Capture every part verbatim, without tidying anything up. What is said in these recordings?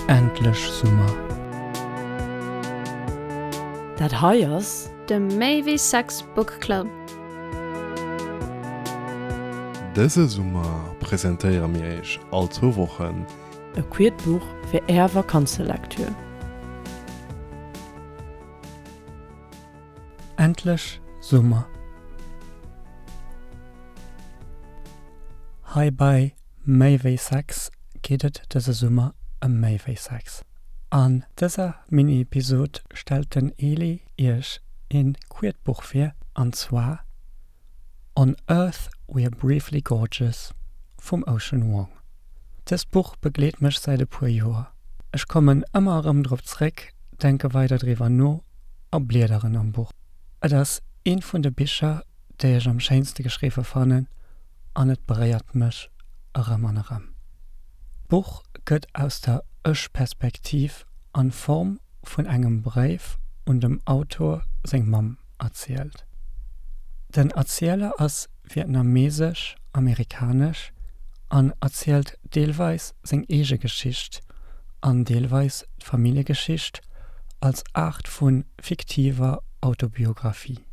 Endlech Summer! Dat hei ass. De Méi wéi Sex Book Club. Dëse Summer presentéiere mir iech all zwou Wochen. E queert Buch fir är Vakanzelektür. Endlech Summer! Hei bei Méi wéi Sex geet et dëse Summer ëm méi wéi Sex. An dëser Mini-Episod stellt den Eli iech een queert Buch vir, an zwar On Earth We're Briefly Gorgeous vum Ocean Vuong. Dëst Buch begleet mech säit e puer Joer. Ech kommen ëmmer erëm drop zréck, denke weider driwwer no a bliederen am Buch. Et ass eent vun de Bicher, déi ech am schéinste geschriwwe fannen an et beréiert mech erëm an erëm. D'Buch gëtt aus der Ech-Perspektiv an Form vun engem Bréif un dem Autor seng Mamm erzielt. Den Erzieler ass vietnamesesch-amerikanesch an erzielt deelweis seng eege Geschicht an deelweis d'Familljegeschicht als Aart vu fiktiver Autobiographie.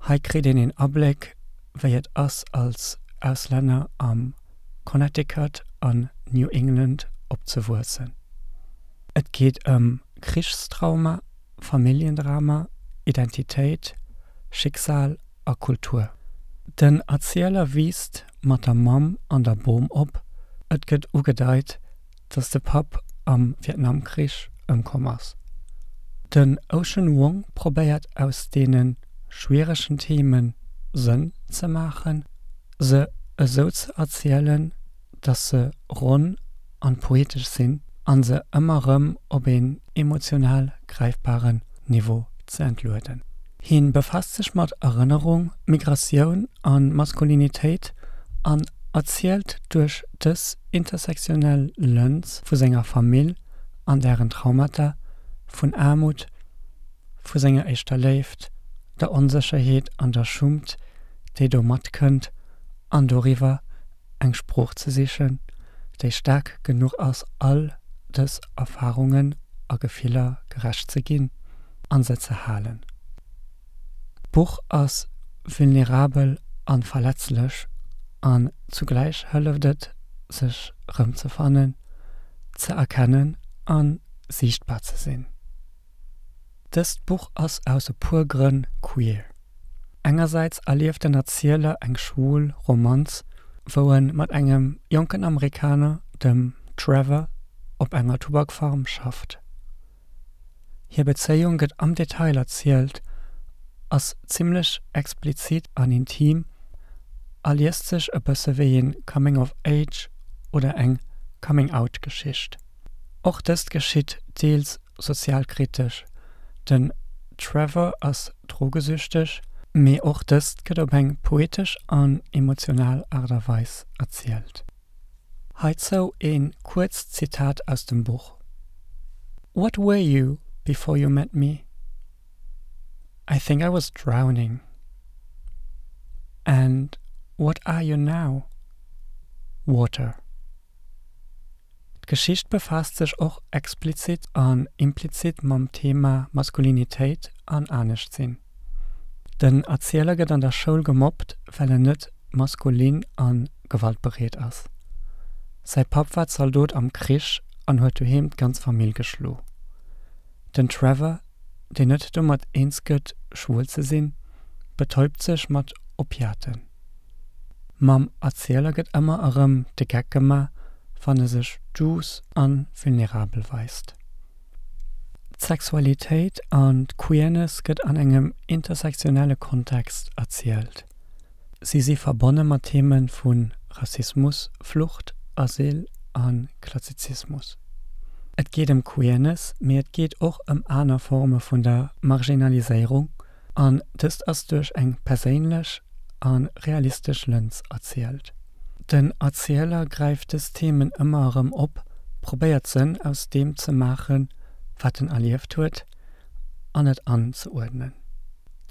Hei kritt een een Abléck, wéi et ass als Auslänner am Connecticut an New England opzewuessen. Et geet ëm Krichstrauma, Familljendrama, Identitéit, Schicksal a Kultur. Den Erzieler wiisst mat der Mamm an der Bom op, et gëtt ugedeit, dass de Papp am Vietnamkrich ëmkomm ass. Den Ocean Vuong probéiert aus deene schwieregen Theme Sënn ze maachen, se esou ze erzielen, dass se ronn an poetesch sinn an se ëmmer erëm op een emotional gräifbaren Niveau ze entlueden. Hien befaasst sech mat Erënnerung, Migratioun an Maskulinitéit an erzielt duerch dës intersektionell Lëns vu senger Famill an dären Traumata, vun Aarmut, vu senger éischter Léift, der Onsécherheet an der Schummt, déi do matkënnt, an doriwwer, eng Sprooch ze sichen, déi staark genuch ass all dës Erfarungen a Gefiller gerecht ze ginn an se ze halen. D'Buch ass vulnerabel an verletzlech an zugläich hëlleft et, sech rëmzefannen, ze erkennen an siichtbar ze sinn. Dëst Buch ass aus e puer Grënn queer. Engersäits erlieft den Erzieler eng schwul Romanz, wou en mat engem jonken Amerikaner, dem Trevor, op enger Tubakfarm schafft. Hir Bezéiung gëtt am Detail erzielt, ass zimmlech explizit an intim a liest sech e bësse wéi een Coming of Age oder eng Coming Out Geschicht. Och dëst geschitt deels sozialkritesch, den Trevor ass drogesüchteg, mee och dëst gëtt op eng poetesch an emotional Aart a Weis erzielt. Heizou een kuerzt Zitat aus dem Buch, What were you before you met me? I think I was drowning. And what are you now? Water. D'Geschicht befaasst sech och explizit an implizit mam Thema Maskulinitéit an Anescht-sinn. Den Erzieler gëtt an der Schoul gemobbt, well en net maskulin a gewaltbereet ass. Säi Papp war Zaldot am Krich an huet doheem d'ganz Famill geschlo. Den Trevor, deen net domat eens gëtt, schwul ze sinn, betäubt sech mat Opiaten. Mam Erzieler gëtt ëmmer erëm de Geck gemaach, wann e sech duuss a vulnerabel weist. D'Sexualitéit an d'Queerness gëtt an engem intersektionelle Kontext erzielt. Si si verbonne mat Theme vu Rassismus, Flucht, Asyl a Klassizismus. Et geet ëm Queerness, mee et geet och ëm aner Forme vun der Marginaliséierung, an dëst ass duerch eng perséinlech a realistesch Lëns erzielt. Den Erzieler gräift dës Themen ëmmer erëm op, probéiert Sënn aus deem ze maachen, wat en erlieft huet, an et anzeuerdnen.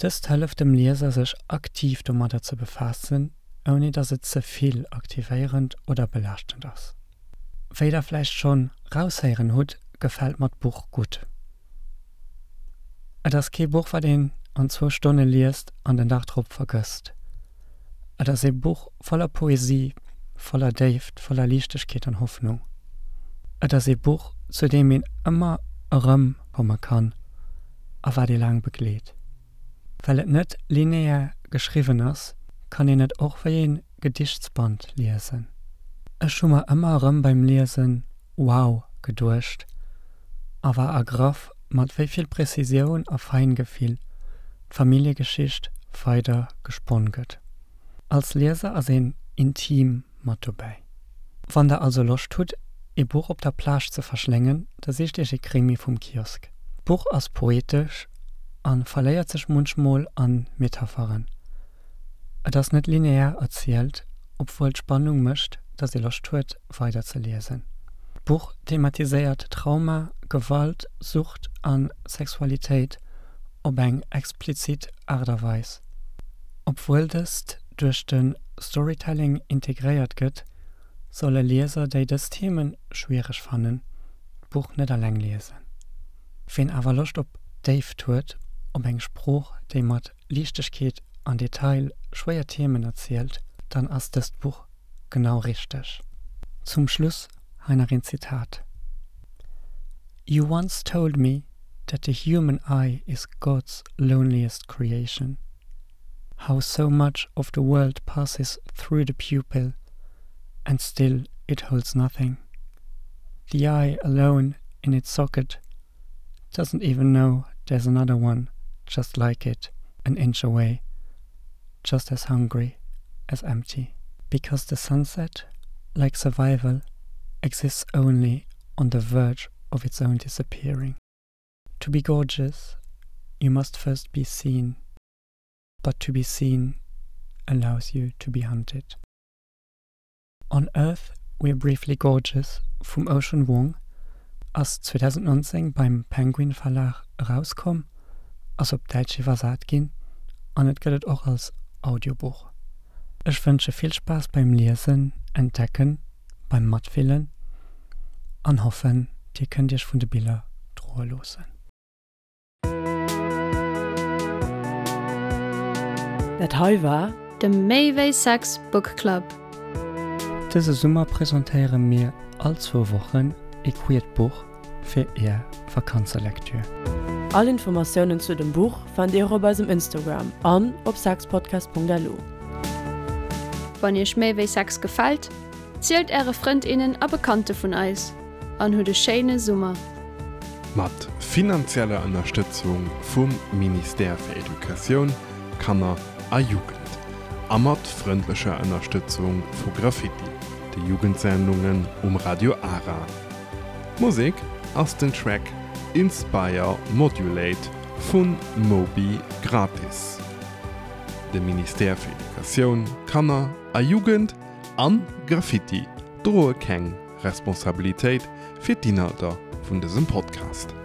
Dëst hëlleft dem Lieser sech aktiv domadder ze befaassen, ouni datt et ze vill aktivéierend oder belaaschtend ass. Wéi der vläicht schonn raushéieren hutt, gefält mer d'Buch gutt. Et ass kee Buch, wat een an zwou Stonne liest an den Dag drop vergësst. Et ass ee Buch voller Poesie, voller Déift, voller Liichtegkeet an Hoffnung. Et ass ee Buch, zu deem een ëmmer erëm komme kann a wat ee laang begleet. Well et net linear geschriwwen ass, kann een et och wéi ee Gedichtsband liesen. Ech hu mer ëmmer erëm beim Liesen Wow geduecht a war ergraff, mat wéi vill Prezisioun a Feingefill d'Familljegeschicht weider gesponn gëtt. Als Lieser ass een intim mat dobäi. Wann der also Loscht hutt, ee Buch op der Plage ze verschléngen, da sicht iech ee Krimi vum Kiosk. D'Buch ass poetesch a verléiert sech munchmol a Metapheren. Et ass net linear erzielt, obwuel d'Spannung mécht, datt ee Loscht huet, weider ze liesen. D'Buch thematiséiert Trauma, Gewalt, Sucht a Sexualitéit op eng explizit Aart a Weis. Obwuel dëst duerch de Storytelling integréiert gëtt, solle Lieser, déi dës Themen schwiereg fannen, d'Buch net eleng liesen. Ween awer Loscht op Déift huet, op eng Sprooch, déi mat Liichtegkeet an Detail schwéier Themen erzielt, dann ass dëst Buch genau richteg. Zum Schluss hei nach een Zitat, You once told me that the human eye is God's loneliest creation. How so much of the world passes through the pupil and still it holds nothing. The eye alone in its socket doesn't even know there's another one just like it an inch away, just as hungry as empty. Because the sunset, like survival, exists only on the verge of its own disappearing. To be gorgeous, you must first be seen, but to be seen allows you to be hunted. On Earth We're Briefly Gorgeous vum Ocean Vuong ass zweedausendnonzéng beim Penguin Verlag erauskomm, ass op Däitsch iwwersat ginn an et gëtt et och als Audiobuch. Ech wënsche vill Spaass beim Liesen, Entdecken, beim Matfillen an hoffen, dir kënnt iech vun de Biller droe loossen. Dat hei war. De Méi wéi Sex Book Club. Dëse Summer presentéiere mir all zwou Wochen ee queert Buch fir är Vakanzelektür. All Informatiounen zu dem Buch fannt dir och op eisem Instagram an op sexpodcast punkt lu. Wann iech Méi wéi Sex gefält, zielt äre Frënd, innen a Bekannte vun eis an hutt e schéine Summer! Mat finanzieller Ënnerstëtzung vum Ministère fir Educatioun, Kanner a Jugend a mat frëndlecher Ënnerstëtzung vu Graffiti, de Jugendsendungen um Radio Ara. D'Musek ass den Track Inspire Modulate vu Moby Gratis. De Ministère fir Educatioun, Kanner a Jugend an Graffiti droe keng Responsabilitéit fir d'Inhalter vun dësem Podcast.